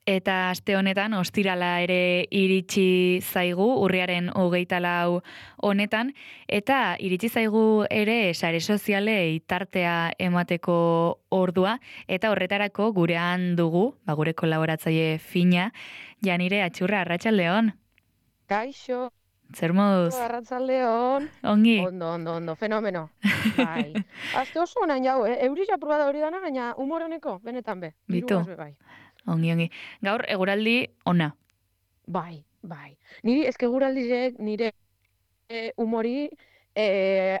Eta aste honetan, ostirala ere iritsi zaigu, urriaren 24 honetan, eta iritsi zaigu ere sare sozialei tartea emateko ordua, eta horretarako gurean dugu, gure kolaboratzaile fina, Janire Atxurra, arratsaldeon. Kaixo, Zer moduz? arratsaldeon. Ongi? Ondo, fenomeno. Bai. Aste oso onain jau, Eurisa proba da hori dana, baina humor honeko, benetan be. Bitu? Dirugaz be bai. Ongi. Gaur, eguraldi ona. Bai. Niri eske guraldizek nire humori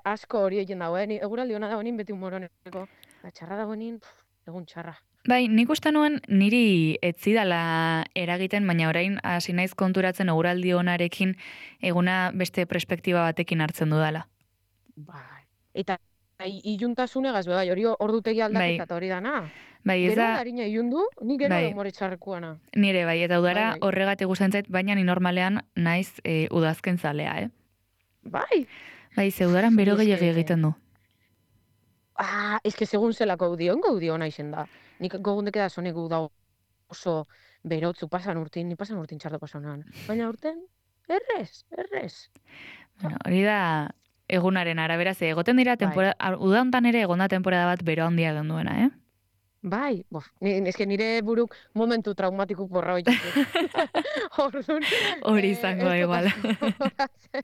asko hori egin dago, Ni eguraldi ona dago nin beti humor honeko. Da txarra dago nin, egun txarra. Bai, nik uste nuen niri etzidala eragiten, baina orain hasi naiz konturatzen eguraldi onarekin eguna beste perspektiba batekin hartzen dudala. Bai. Eta iluntasunegaz be bai, hori ordutegi aldaketa eta hori dana. Bai, ez Gero da, harina ilundu, ni gero bai, humore txarrekoana. nire bai, eta udara Bai. horregatik gustatzen zait, baina ni normalean naiz udazken zalea, Bai. Bai, ze udaran bero Ni eske- gehiago egiten du. eske segun zelako gaudio naizen da. Nik gogundeke da zonek da oso berotzu ni pasan urtin txarto pasanan. Baina urten, errez. Bueno, hori da egunaren arabera, ze egoten dira uda hontan ere egonda temporada bat bero handia egin duena, Bai, eske nire buruk momentu traumatikuk borra hori. Orduan, Hori izango da ez dut igual. gogoratzen.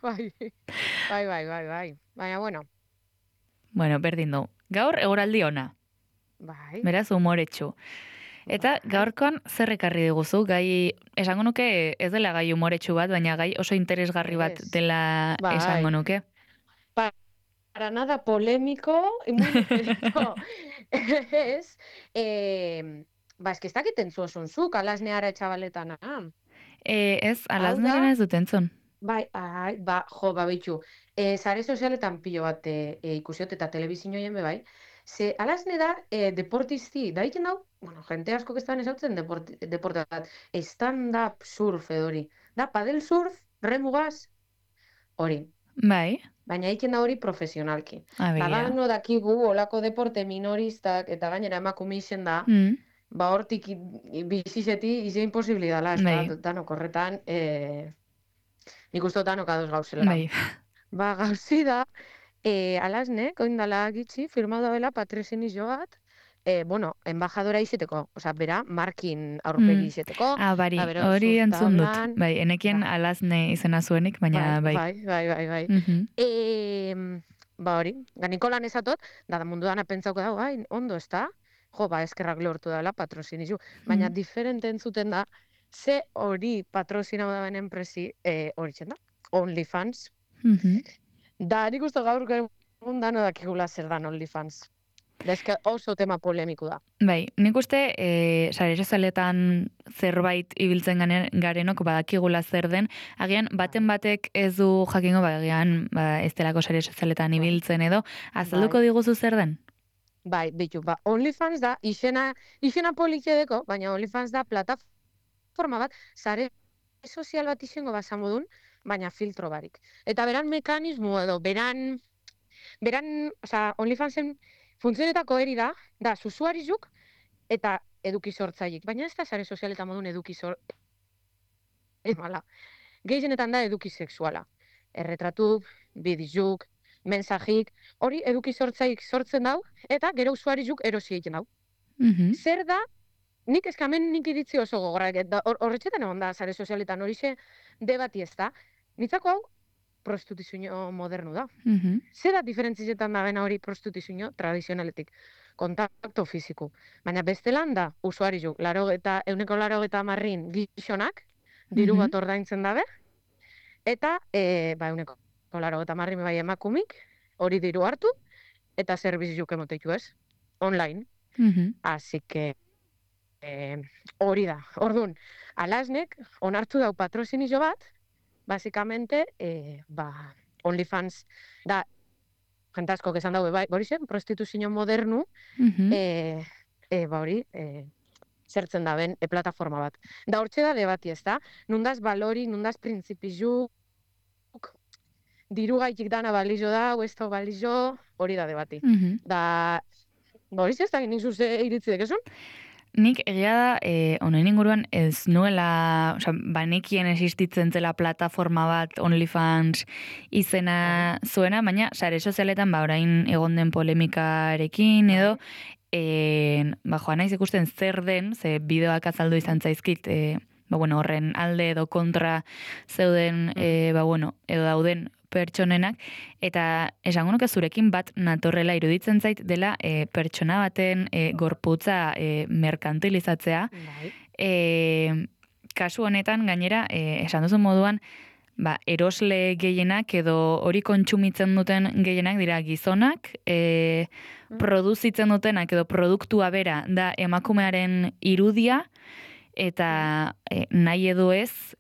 Bai. Baina, bueno, Bueno, berdin du. Gaur eguraldi ona. bai. Beraz, umoretsu. Eta gaurkoan zer ekarri diguzu, gai, esango nuke ez dela gai umoretsu bat, baina gai oso interesgarri bat Ez. dela Bai. esango nuke. Para nada polémico y muy ligerito. Ez, eske ez dakit entzun zuk, alasneara etxabaletana. Ez, Hau alazneren da, ez dut entzun. bai, bitxu. Sare sozialetan pilo bat ikusiot eta telebizinoien be bai. Ze alasne da, deportisti, da egiten dau, bueno, jente asko kestan ezautzen deporte bat. Stand-up surf edo hori. Da, padel surf, remugaz, hori. Bai, Baina egiten da hori profesionalki. abegia. Badano dakigu olako deporte minoristak eta gainera emakume izen da, hortik bizizeti ize imposibili dala, ez Bai. da, danok horretan, nik uste dut danok ados gauzela. Bai. Gauzi da, alasnek, oindala gitxi, firmau dabela patrozinizo bat, embajadora izeteko, bera, markin aurpegi izeteko. Bari, Bero, hori surf entzun dut. tablan, Bai, enekien alazne izena zuenik, baina bai. Bai. Hori, ganikolan ezatot, da mundu dana pentsauko dago, ondo ez da? Jo, eskerrak lortu dela patrozinizu. Baina diferente entzuten da, ze hori patrozinau da benen enpresi hori da, OnlyFans. Da, nik uste gaur egun dano dakigula zer dan OnlyFans. Da, eske oso tema polemiku da. Bai, nik uste sare sozialetan zerbait ibiltzen garenok badakigula zer den, agian baten batek ez du jakingo, agian ez delako sare sozialetan ibiltzen edo, azalduko diguzu zer den? Bai, bitu, OnlyFans da, izena politxedeko, baina OnlyFans da plataforma bat, sare sozial bat izango basamodun, baina filtro barik. Eta beran mekanismo edo, beran, OnlyFansen funtzionetako eri da susuarizuk eta eduki sortzailik. Baina ez da sare sozialetan modun eduki Gehienetan da eduki sexuala. Erretratu, bidizuk, mensajik, hori eduki sortzailik sortzen dau, eta gero usuarizuk erosi egiten dau. Zer da, nik eskamen nik iritzi oso gogorrak, horretxetan egon da sare sozialetan hori ze debati ez da. Nitzako hau, prostituzio modernu da. Zer da diferentzizetan da bena hori prostituzio tradizionaletik? Kontakto fiziku. Baina bestelan da, usuarizuk, euneko 80 gizonak, diru bat ordaintzen dabe, eta euneko 80 bai emakumik, hori diru hartu, eta zerbizizuk emoteitu ez, online. Así que hori da. Orduan, alasnek onartu dau patrozinizo bat, basikamente, OnlyFans da, jentasko esan daue, bai, hori zen, prostituzio modernu, hori, zertzen da ben, plataforma bat. Da hortxe da debati ez da, nundaz balori, nundaz printzipizuk, diru gaitik dana balizo da, ez balizo, hori da debati. Da, hori ez da, nik zuze iritzidek esun? nik egia da, honen inguruan ez nuela, banekien existitzen zela plataforma bat OnlyFans izena zuena, baina sare sozialetan orain egon den polemikarekin edo, joan naiz ikusten zer den, ze bideoak azaldu izan zaizkit, horren alde edo kontra zeuden, edo dauden pertsonenak, eta esango nuke zurekin bat natorrela iruditzen zait dela pertsona baten gorputza merkantilizatzea. Kasu honetan, gainera, esan duzu moduan, erosle gehienak edo hori kontsumitzen duten gehienak dira gizonak, produzitzen dutenak edo produktua bera da emakumearen irudia, eta nahi edo ez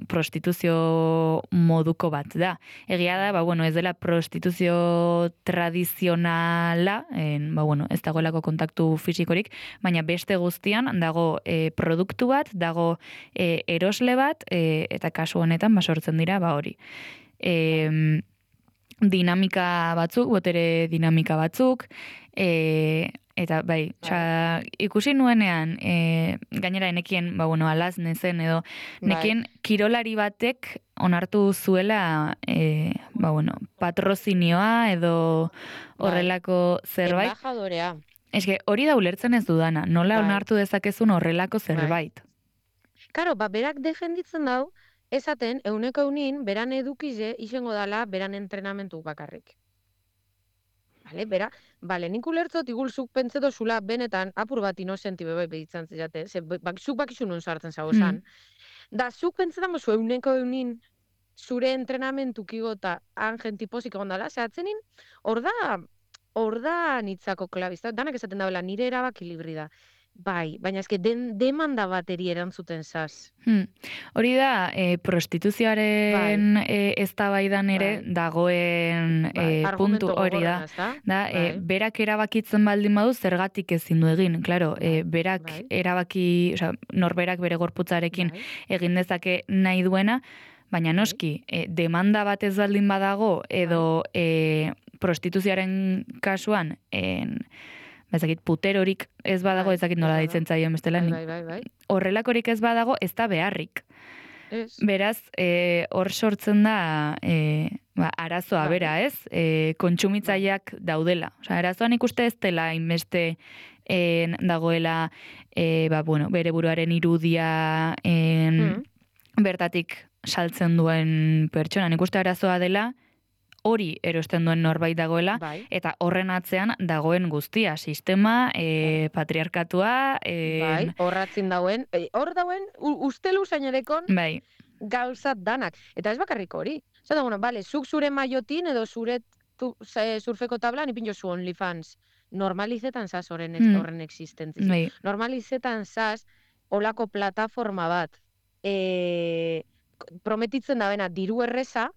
prostituzio moduko bat da. Egia da, ez dela prostituzio tradizionala, ez dagoelako kontaktu fisikorik, baina beste guztian dago produktu bat, dago erosle bat, eta kasu honetan sortzen dira hori. Dinamika batzuk, botere dinamika batzuk, eta ikusi nuenean, gainera enekien, alaz nezen edo, nekien kirolari batek onartu zuela, patrozinioa edo horrelako zerbait. Embajadorea. Eske, hori da ulertzen ez dudana, nola onartu dezakezun horrelako zerbait. Karo, berak defenditzen dau, esaten, euneko eunin, beran edukize, izango dala, beran entrenamentu bakarrik. Nik ulertzot, igulzuk pentseto zula benetan apur bat inosenti bebe behitzen zizate, zuk bakizu nun sartzen zagozan. Da, zuk pentsetan gozu euneko eunin zure entrenamentu kigota angen tipozik egondala, zehatzenin, hor da nitzako klabizta, danak esaten dabela, nire erabaki libri da. Baina eske demanda bateri erantzuten zaz. Hori da, prostituzioaren eztabaidan ere dagoen puntu hori da. Berak erabakitzen baldin badu zergatik ezin du egin. Claro, berak erabaki, norberak bere gorputzarekin egin dezake nahi duena, baina noski, demanda bat ez baldin badago edo prostituzioaren kasuan ezakit puterorik ez badago, ezakit nola deitzen zaioen bestela. Horrelakorik ez badago, ez da beharrik. Beraz, hor sortzen da arazoa bera, ez? Kontsumitzaileak daudela. Arazoan ikuste ez dela inbeste dagoela bere buruaren irudia bertatik saltzen duen pertsona. Ikuste arazoa dela hori erosten duen norbait dagoela, eta horren atzean dagoen guztia, sistema, patriarkatua... Horratzin dauen, hor dauen, ustelu zainerekon gauzat danak. Eta ez bakarrik hori. Zata, zuk zure maiotin edo zure surfeko tablan ipin jozu OnlyFans. Normalizetan zaz horren existentzia. Normalizetan zaz olako plataforma bat prometitzen da bena diru erreza,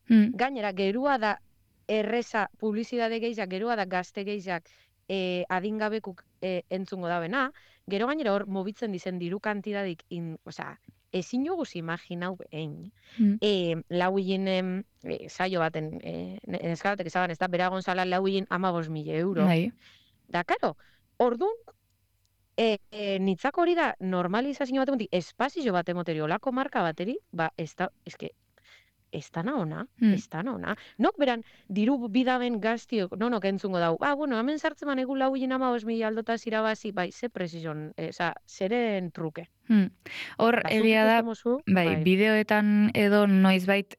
gainera, gerua da erreza, publizidade gehiak, gerua da gazte gehiak adingabekuk entzungo da bena, gero gainera hor mobitzen dizen diru kantidadik, ezin joguz imaginau behin. Lau hien saio baten, neskabatek ezaban, ez da, bera gonzala lau hien 15.000 euro. Da, karo, orduan, nitzako hori da normalizazio bat emontik, espazio bat emoteri, olako marka bateri, ez dana ona. Nok beran, diru bidaben gaztiok, nonok entzungo dau. Hemen sartzen man egun lau hien 15.000 aldota zirabazi, ze prezizon, zeren truke. Hor, egia da, bideoetan edo noizbait,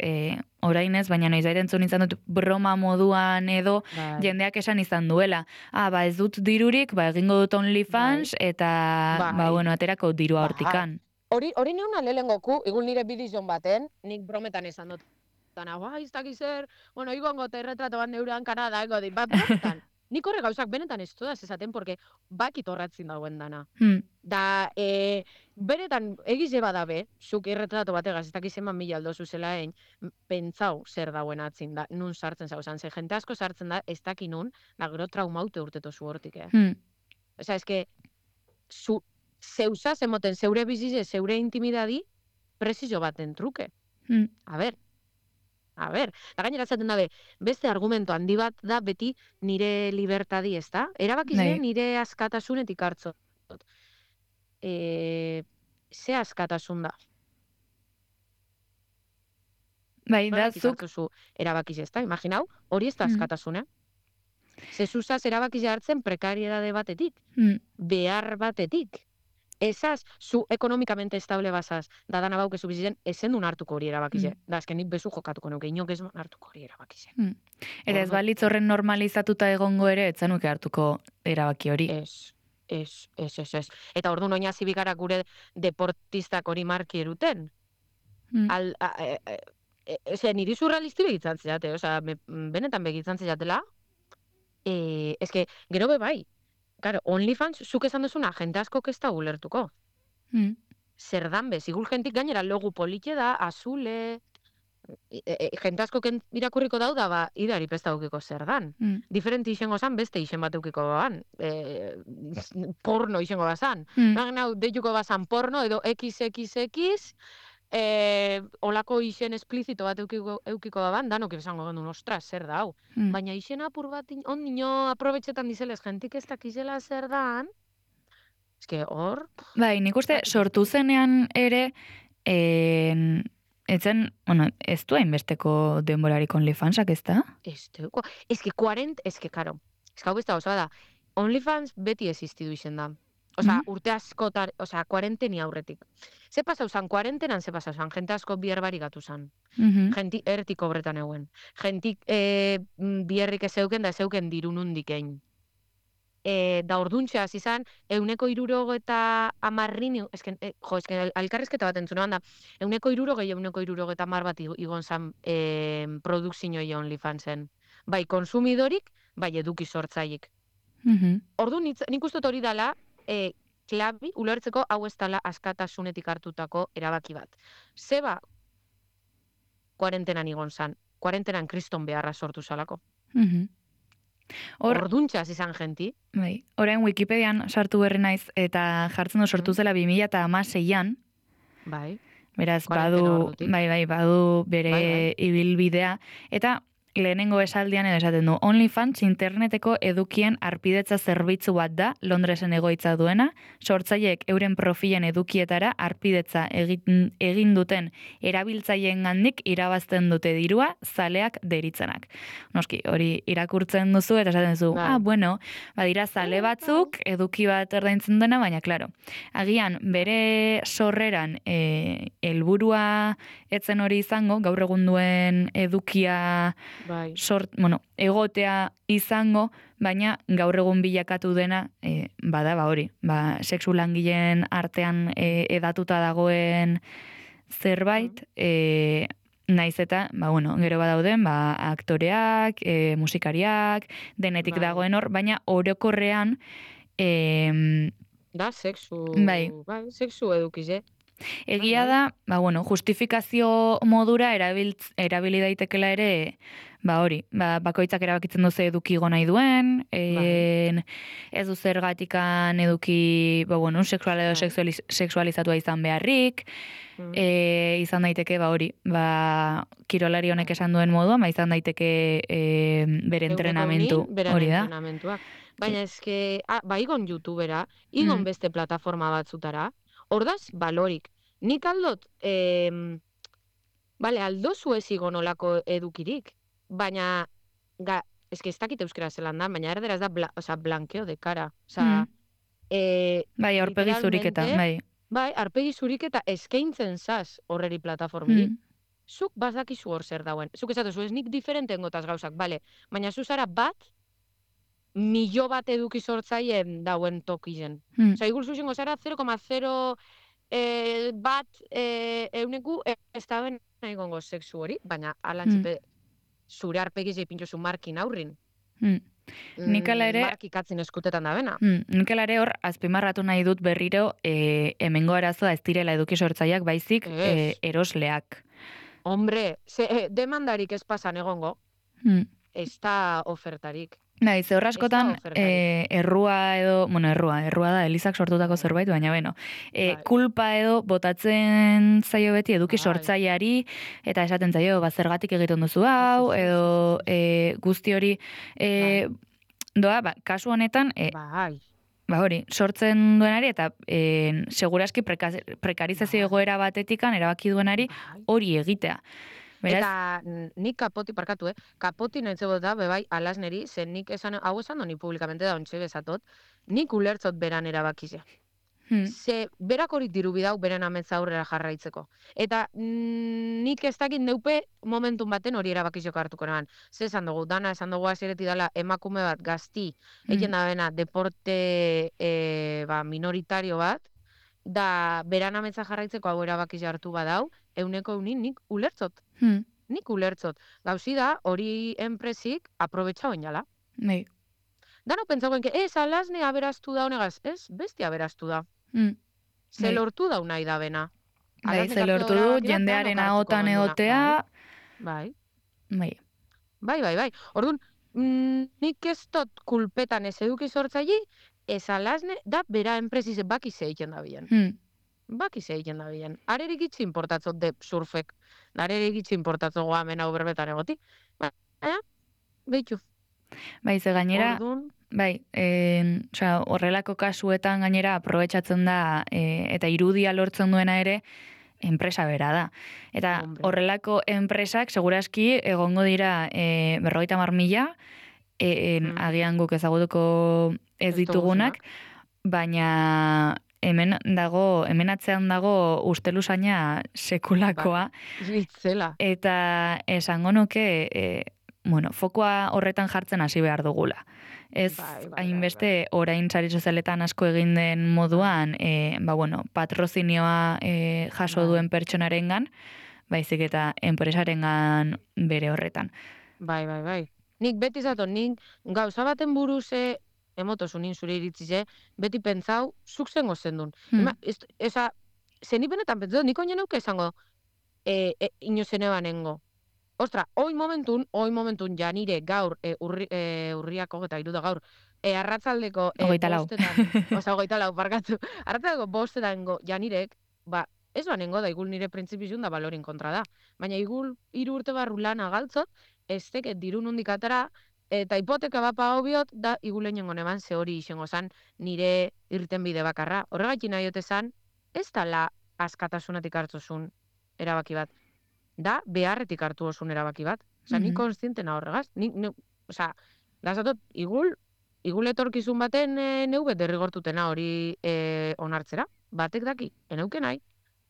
orain ez, baina noizbait entzun izan dut broma moduan edo jendeak esan izan duela. Ez dut dirurik, egingo dut OnlyFans, eta, aterako dirua hortikan. Hori neuna lehengoku, egun nire bidizon baten, nik brometan esan dut. Ez dakiz zer, igongo eta erretrato bat neurean Kanada, brometan. Nik horre gauzak benetan ez dudaz esaten, porque bakit horratzin dagoen dana. Da, benetan, egize badabe, zuk erretrato bategaz, ez dakiz eman 1.000 aldo zuzela egin, pentsau zer dagoen atzin da, nun sartzen zauzan. Ze jente asko sartzen da, ez daki nun, gero traumaute urteto zu hortik, eske, zeusaz emoten zeure bizize, zeure intimidadi, prezizio baten truke. A ber. Da gainera zaten dabe, beste argumento handi bat da beti nire libertadi, ez da? Erabakiz nire askatasunetik hartzot. ze askatasun da. Bai, da, zuk... Erabakiz ez da, imaginau, hori ez da askatasuna. Zezuzaz erabakiz hartzen prekariedade batetik, behar batetik. Esaz, zu ekonomikamente estable bazaz, da dana baukezu bizitzen, ezen duen hartuko hori erabakize. Da, azkenik bezu jokatuko nuke, inok ez hartuko hori erabakize. Eta ez balitz horren normalizatuta egongo ere, etzanuke hartuko erabaki hori. Ez. Eta orduan oina zibikara gure deportistak hori marki eruten. Niri surrealisti begitzen zeate, benetan begitzen zeatela, eske, gero bai, claro, OnlyFans, zuk esan duzuna, jente asko ez da ulertuko. Zer dan bez, igur jentik gainera logu politxe da, azule, jente asko irakurriko dauda, ba, idari pesta eukiko zer dan. Diferenti izango zan, beste izen bat eukiko ban. Porno izango bazan. Deituko bazan porno, edo XXX, olako izen esplizito bat eukiko da ban, danok esango gendu, ostras, zer da, hau. Baina izen apur bat, ondino aprobetxetan dizelez, jentik ez dakizela zer dan, eske hor... Bai, nik uste sortu zenean ere, etzen, ez du hainbesteko denborarik OnlyFansak, ez da? Karo, hau besta oso da, OnlyFans beti existidu izen da. Urte askotar, kuarenteni aurretik. Ze pasau zan, kuarentenan ze pasau zan, jente asko bierbari gatu zan. Jenti ertik obretan euen. Jentik bierrik ez euken da ez euken dirunundik egin. Da orduntxeaz izan, 160 alkarrezketa bat entzuna banda, 160 bat igon zan produkzinoi OnlyFansen. Bai konsumidorik, bai eduki sortzaik. Orduan, nik uste hori dala, klabi, ulertzeko hau ez dala askatasunetik hartutako erabaki bat. Zeba, kuarentenan igon zan, kuarentenan kriston beharra sortu zalako. Orduntxaz izan jenti. Bai, orain Wikipedian sartu berri naiz, eta jartzen du sortu zela 2006an. Bai. Beraz, badu bere ibilbidea. Eta lehenengo esaldian edo esaten du, OnlyFans interneteko edukien arpidetza zerbitzu bat da, Londresen egoitza duena, sortzaileek euren profilen edukietara arpidetza egin duten erabiltzaileen gandik irabazten dute dirua, zaleak deritzenak. Noski, hori irakurtzen duzu eta esaten duzu, badira zale batzuk, eduki bat erdaintzen dena, baina, klaro, agian bere sorreran helburua etzen hori izango, gaur egun duen edukia egotea izango, baina gaur egun bilakatu dena, bada hori, sexu langileen artean edatuta dagoen zerbait, naiz eta, gero badauden, aktoreak, musikariak, denetik dagoen hor, baina orokorrean... Da, sexu edukize. Egia da, justifikazio modura erabili daitekela ere, bakoitzak erabakitzen duze eduki nahi duen, ez du zergatikan eduki, sexual edo sexualizatua izan beharrik, izan daiteke, kirolari honek esan duen moduan, izan daiteke bere entrenamentu hori da. Baina ezke, igon YouTubera, igon beste plataforma batzutara, ordaz, balorik. Nik aldot, aldozu ez igon olako edukirik, baina, ez dakit euskera zelan da, baina erderaz da, blankeo de cara. Aurpegi zuriketa, aurpegi zuriketa eskaintzen zaz horreri plataformirik. Zuk bazakizu hor zer dauen. Zuk esatu ez nik diferenten gotaz gauzak, baina zuzara bat, milio bat eduki sortzaien dauen tokizen. Igur zuzengo zara 0,0 bat euneku ez da ben nahi gongo sexu hori, baina alantzipe zure arpegiz ipintxozu markin aurrin. Markikatzen eskutetan da bena. Nikela ere hor, azpimarratu nahi dut berriro hemengo arazoa ez direla eduki sortzaileak baizik erosleak. Hombre, demandarik ez pasan egongo, ez da ofertarik. Ze horraskotan, errua da, Elizak sortutako zerbait, baina, kulpa edo botatzen zaio beti eduki sortzaileari, eta esaten zaio, zergatik egiten duzu hau, edo guzti hori, kasu honetan, hori, sortzen duenari eta seguraski prekarizazio egoera batetikan erabaki duenari hori egitea. Beraz? Eta nik kapoti, parkatu, kapoti nahi zebot da, bebai, alasneri, zen nik hau esan doni publikamente da ontxe bezatot, nik ulertzot beran erabakizea. Ze berak hori diru bidau beren ametza aurrera jarraitzeko. Eta nik ez dakit neupe momentun baten hori erabakizeko hartuko nahan. Ze esan dugu, dana esan dugu azireti dela emakume bat gazti, egin da bena deporte minoritario bat, da beran ametza jarraitzeko hau erabakizea hartu badau, euneko eunin nik ulertzot. Nik ulertzot. Gauzi da, hori enpresik aprobetxa oinala. Nei. Dano pentsagoen, alasne aberaztu da honegaz, ez, besti aberaztu da. Ze lortu dau nahi da bena. Bai, ze lortu du, jendearen ahotan egotea. Bai. Bai. Orduan, nik ez dut kulpetan ez eduki sortzaile, ez alasne, da bera enpresiz baki zeiken da bilen. Baki zeiken da bilen. Arerik itxi importatzot de surfek. Arerik itxi importatzot goamen hau berbetan egoti. Baina, behitu. Bai, ze gainera... Bai, horrelako kasuetan gainera aprobetxatzen da eta irudia lortzen duena ere enpresa bera da. Eta horrelako enpresak segurazki egongo dira 50.000, agian guk ezagutuko ez ditugunak, baina hemen atzean dago ustelusaina sekulakoa. Eta esango nuke... fokoa horretan jartzen hasi behar dugula. Ez hainbeste orain sare sozialetan asko egin den moduan, patrozinioa jaso duen pertsonarengan, baizik eta enpresarengan bere horretan. Bai. Nik beti zaton, nik gauza baten buruz emotozu nin zure iritzize, beti pentsau, zuk zengo zendun. Zenipenetan pentsau, nik oinen auke esango inozene banengo. Ostra, hoi momentun ja nire gaur urriako eta iruda gaur arratzaldeko bostetan, parkatu, arratzaldeko bostetan ja nirek, ez banengo da igul nire printzipizun da balorin kontra da. Baina igul 3 urte barru lan agaltzot, ez teket dirun hundik atara, eta hipoteka bapa hobiot da igulen jongo neban ze hori izango zan nire irten bide bakarra. Horregatik nahi otezan, ez tala askatasunatik hartzozun erabaki bat. Da, beharretik hartu osun erabaki bat. Ni konstientena horregaz. Lazatot, igul etorkizun baten neubet derrigortutena hori onartzera. Batek daki, eneuken nahi.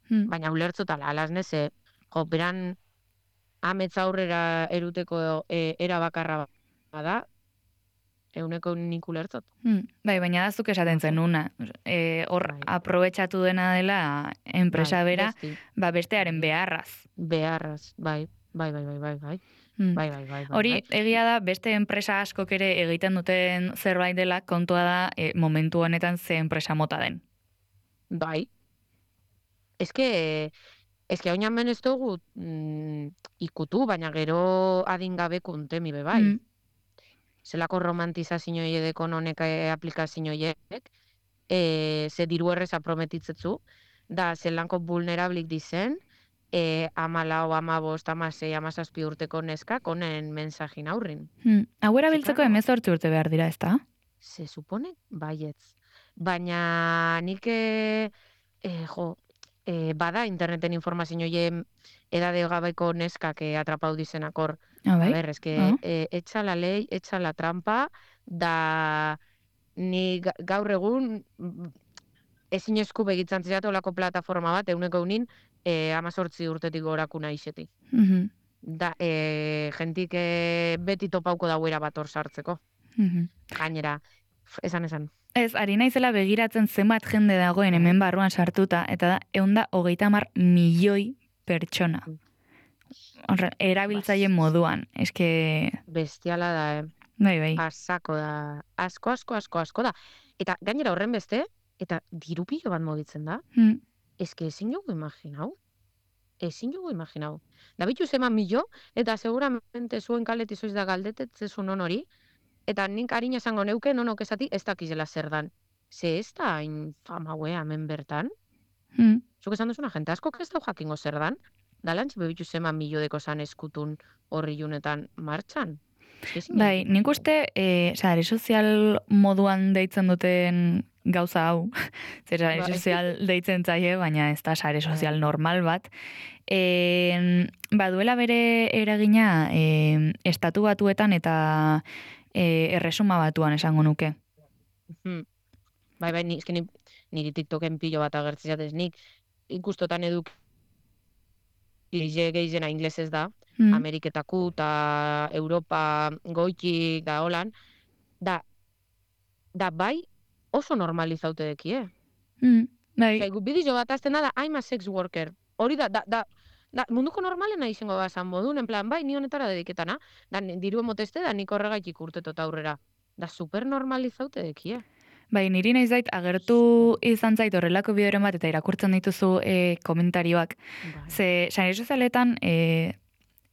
Baina ulertzotala, alasneze, beran ametza aurrera eruteko erabakarra bada, euneko nik ulertzot. Bai, baina da zuk esaten zenuna. Hor, aprobetxatu dena dela enpresa bera, bestearen beharraz. Beharraz, bai. Hori, egia da, beste enpresa askok ere egiten duten zerbait dela, kontua da momentu honetan ze enpresa mota den. Bai. Eske oinan ben ez dugu ikutu, baina gero adingabe kuntemi bebai. Zelako romantizazio edeko honek aplikazio edek, ze diru erreza prometitzetzu, da zelanko vulnerablik dizen, 14, 15, 16, 17 urteko neskak honen mensajin aurrin. Hau erabiltzeko 18 urte behar dira, ez da? Se supone, baietz. Baina nik, bada interneten informazio joie edade gabaiko neskak atrapau dizenak hor. A ber, etxa la ley, etxa la trampa, da ni gaur egun ezin esku begitzen zizatu olako plataforma bat, euneko unin, 18 urtetik gorakuna isetik. Da, jentik beti topauko dauera bat hor sartzeko. Gainera, esan. Ez, ari naizela begiratzen zenbat jende dagoen hemen barruan sartuta, eta da, 130 milioi pertsona. Erabiltzaile moduan, eske... Bestiala da, Bai. Asako da. Asko da. Eta gainera horren beste, eta diru pilo bat mogitzen da. Eske ezin jogu imaginau. Da bitu zeman milo, eta seguramente zuen kaleti zoiz da galdetetzezun hori, eta nik harina esango neuke nonok esati ez dakizela zer dan. Ze ez da hain famaue hemen bertan. Zuk esan duzuna, jente asko ez da jakingo zer dan. Da lantxe bebitu zeman milodeko zan eskutun horri junetan martxan. Bai, nik uste, sare sozial moduan deitzen duten gauza hau, zer sare sozial deitzen zaie, baina ez da sare sozial normal bat, baduela bere eragina estatu batuetan eta erresuma batuan esango nuke. Bai, niri TikToken pilo bat agertzen jatez, nik ikustotan geizena inglesez da, Ameriketaku eta Europa goitik da holan, da bai oso normalizaute deki, Bai. Bideo bat azten da, I'm a sex worker. Hori da munduko normalena izango da zan modun, en plan, bai, ni honetara dediketana, da diru emoteste da nik horregaitik urtetot aurrera. Da super normalizaute deki, Bai, niri nahi zait, agertu izan zait horrelako bideoren bat, eta irakurtzen dituzu komentarioak. Ze, sare sozialetan,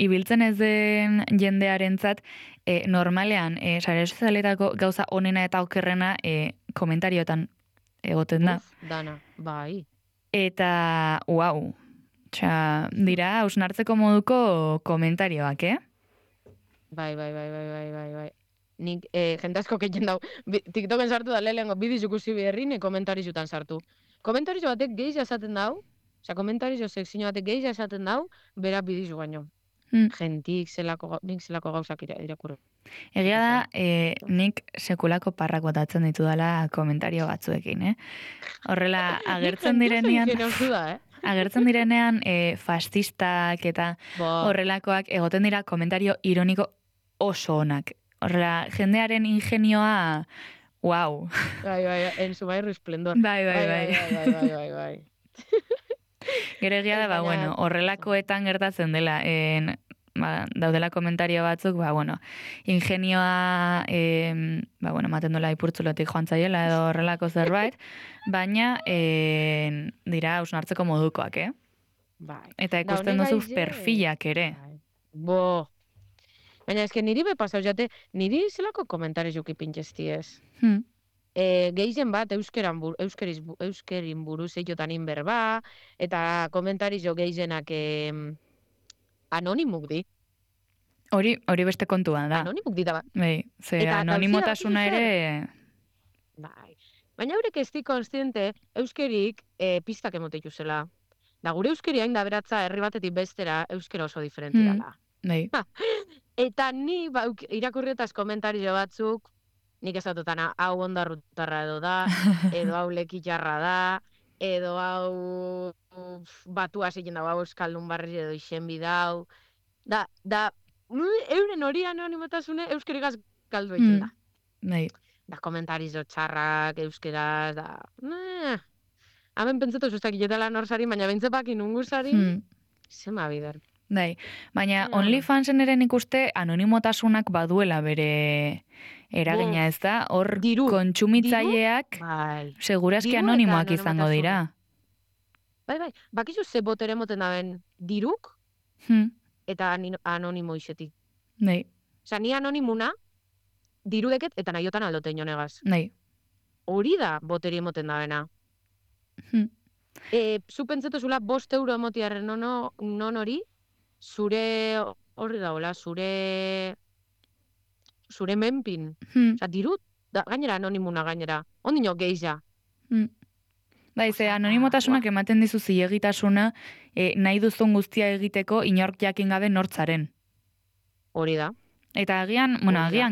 ibiltzen ez den jendearentzat, normalean, sare sozialetako gauza onena eta okerrena komentarioetan egoten da. Dana, bai. Eta, uau, dira, hausnartzeko moduko komentarioak, Bai. Nik jende asko keiten dau, TikToken sartu da lehengo bidiz ikusi beharrin, komentarizutan sartu. Komentarizu batek geiza esaten dau, komentarizu sekzio batek geiza esaten dau, bera bidizu baino. Gentik nik zelako gauzak irakurri. Egia da, nik sekulako parrak botatzen ditu dela komentario batzuekin, Horrela, agertzen direnean... Agertzen direnean fascistak eta horrelakoak egoten dira komentario ironiko oso onak. Horrela, jendearen ingenioa, wow. Bai, en su mayor esplendor. Bai. Gero egia da, bueno, horrelakoetan gertatzen dela, daudela komentario batzuk, ingenioa, maten dola ipurtzulotik joan zaiela edo horrelako zerbait, baina dira hausnartzeko modukoak, Bai. Eta ikusten duzu perfilak ere. Baina eske niri pasau jate, niri zelako komentariz juki pintxesti ez. Geizen bat euskerin buruz eitotan inberba, eta komentariz jo geizenak anonimuk di. Hori beste kontua da. Anonimuk di da. Bai, ze anonimotasuna ere... Bai. Baina haurek ez di konstiente euskerik pistak emote zela. Da gure euskeri hain da beratza herri batetik bestera euskera oso diferenti dala. Bai. Eta ni irakurrietaz komentario batzuk, nik ezatutan hau ondarrutarra edo da, edo hau lekitxarra da, edo hau batua zikin dago, hau euskaldun barri edo izenbi dau. Da, euren hori anonimotasune euskerigaz galdu egiten da. Bai. Da komentarizo txarrak, euskeraz, da... Hemen pentsatu zuztak itetela norsari, baina bentzepak inungusari, zema bider. Bai, baina OnlyFansen ere nik uste anonimotasunak baduela bere eragina, ez da? Hor kontsumitzaileak segurazki anonimoak izango dira. Bai, bakizu ze botere moten daben diruk eta anonimo izetik. Bai. Osa, ni anonimuna dirudeket eta nahiotan aldote inonegaz. Bai. Hori da boteri emoten dabena. Zu pentsetu zula 5 euro emotiarren non hori, zure horri daola, zure menpin. Osa, dirut, gainera anonimuna gainera. Ondino geiza. Bai, ze anonimotasunak ematen dizu zilegitasuna nahi duzun guztia egiteko inork jakin gabe nortzaren. Hori da. Eta agian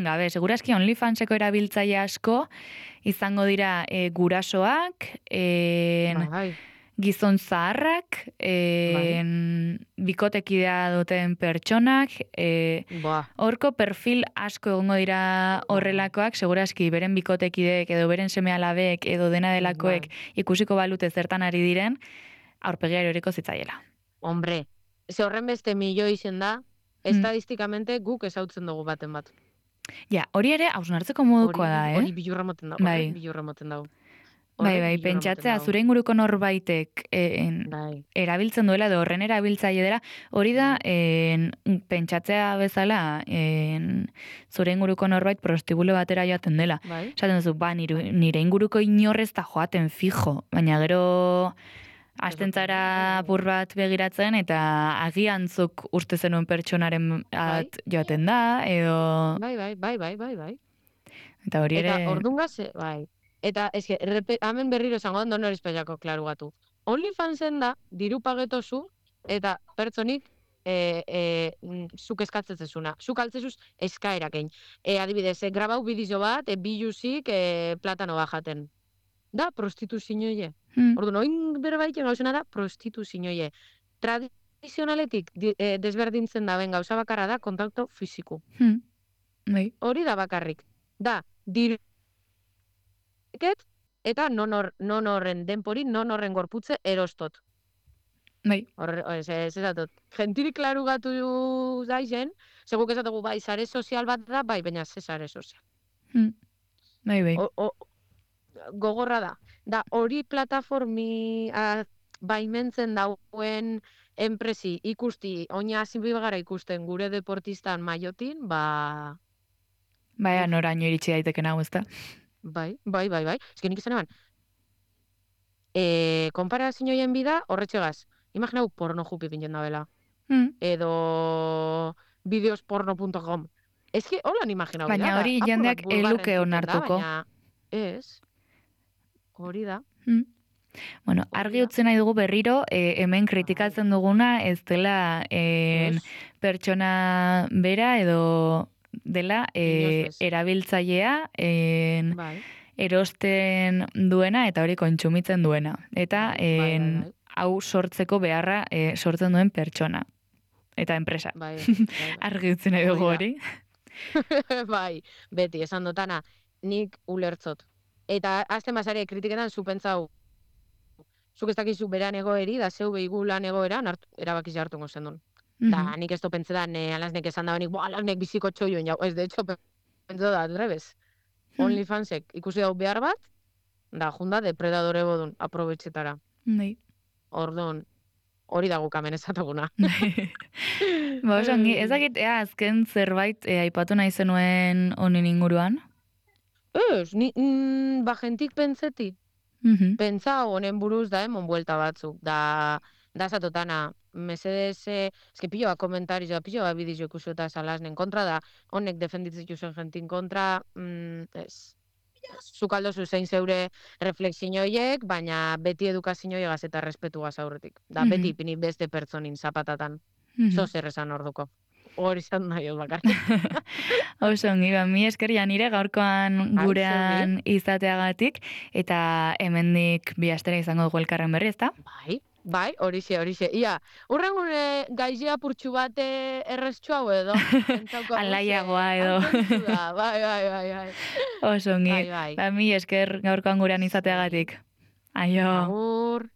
gabe, segurazki OnlyFanseko erabiltzaile asko izango dira gurasoak, gizon zaharrak, bikotekidea duten pertsonak, horko perfil asko egongo dira horrelakoak, segurazki beren bikotekideek edo beren seme-alabek edo dena delakoek ikusiko balute zertan ari diren, aurpegia eroriko zitzaiela. Hombre, ze horren beste milio izen da, estadistikamente guk ezautzen dugu baten bat. Ja, hori ere hausnartzeko modukoa da, Hori bilurra moten dago. Bai, pentsatzea zure inguruko norbaitek erabiltzen duela edo horren erabiltzaile dela, hori da pentsatzea bezala zure inguruko norbait prostibulo batera joaten dela. Esaten duzu, nire inguruko inorrez da joaten fijo, baina gero Astentzara apur bat begiratzen, eta agiantzuk uste zenuen pertsonaren joaten da, edo... Bai. Eta hori ere... Eta ordungaz, bai. Eta, hemen berriro esango da, noriz peiako klaru gatu. OnlyFansen da, diru pagetozu, eta pertsonik zuk eskatzezuna. Zuk altzezuz eskaerakein. Adibidez, grabau bideo bat, biluzik platano bajaten. Da, prostituzioie. Orduan, oin berbaiken gauzena da, prostituzioie. Tradizionaletik desberdintzen da, gauza bakarra da, kontakto fiziko. Hori da bakarrik. Da, diruket, eta non horren denpori, non horren gorputze erostot. Ez ezatot. Gentirik klaru gatu daizen, seguk ezatugu, bai, sare sozial bat da, bai, baina ze sare sozial. Bai. Gogorra da. Da, hori plataformi baimentzen dauen enpresi ikusti, oina azinbibagara ikusten gure deportistan maiotin, ba... Baina, noraino iritsi daiteken hau, ezta? Bai. Ez nik izan eban. Konparazioen bida, horretxegaz. Imaginau porno jupi pintzen da bela. Edo videosporno.com. Ez que holan imaginau. Baina hori jendeak eluke onartuko. Ez. Hori da. Bueno, argi utzen nahi dugu berriro, hemen kritikatzen duguna ez dela pertsona bera edo dela erabiltzailea erosten duena eta hori kontsumitzen duena. Eta hau sortzeko beharra sortzen duen pertsona. Eta enpresa. Argi utzen nahi dugu hori. Bai, beti, esan dutana, nik ulertzot. Eta azten basare kritiketan zupentzau, zuk ez dakizu beran egoeri, da zeu behigu lan egoeran, erabakiz hartungo zen duen. Da, nik ez pentsetan, alasnek esan da benik, alasnek biziko txoioen jau. Ez, de hecho, pentsa da, adrebez. OnlyFansek ikusi dau behar bat, da, junda depredadore bodun, aprobetxetara. Ordon, hori da gukamen ezataguna. Ba, osongi, ez dakit, azken zerbait aipatu nahi zenuen honen inguruan? Ez, ba, jentik pentseti. Pentsa honen buruz da, buelta batzuk. Da zatotana, mesedez, eske pilo bat komentarizo, pilo bat bidizio ikusu eta salasnen kontra da, honek defenditzen zen jentin kontra, ez. Zukaldo zein zeure reflexioiek, baina beti edukazioiegaz eta respetuaz aurretik. Da, beti ipini beste pertsonin zapatatan. Zer esan orduko. Hori izan nahi bakarrik. Osongi, mi eskeria nire gaurkoan gurean izateagatik, eta hemendik bi astera izango dugu elkarren berri, ezta? Bai, horixe. Ia, urren gure gaizia purtsu bat erreztxu hau edo. Alaiagoa edo. Bai. Osongi, mi esker gaurkoan gurean izateagatik. Aio. Agur.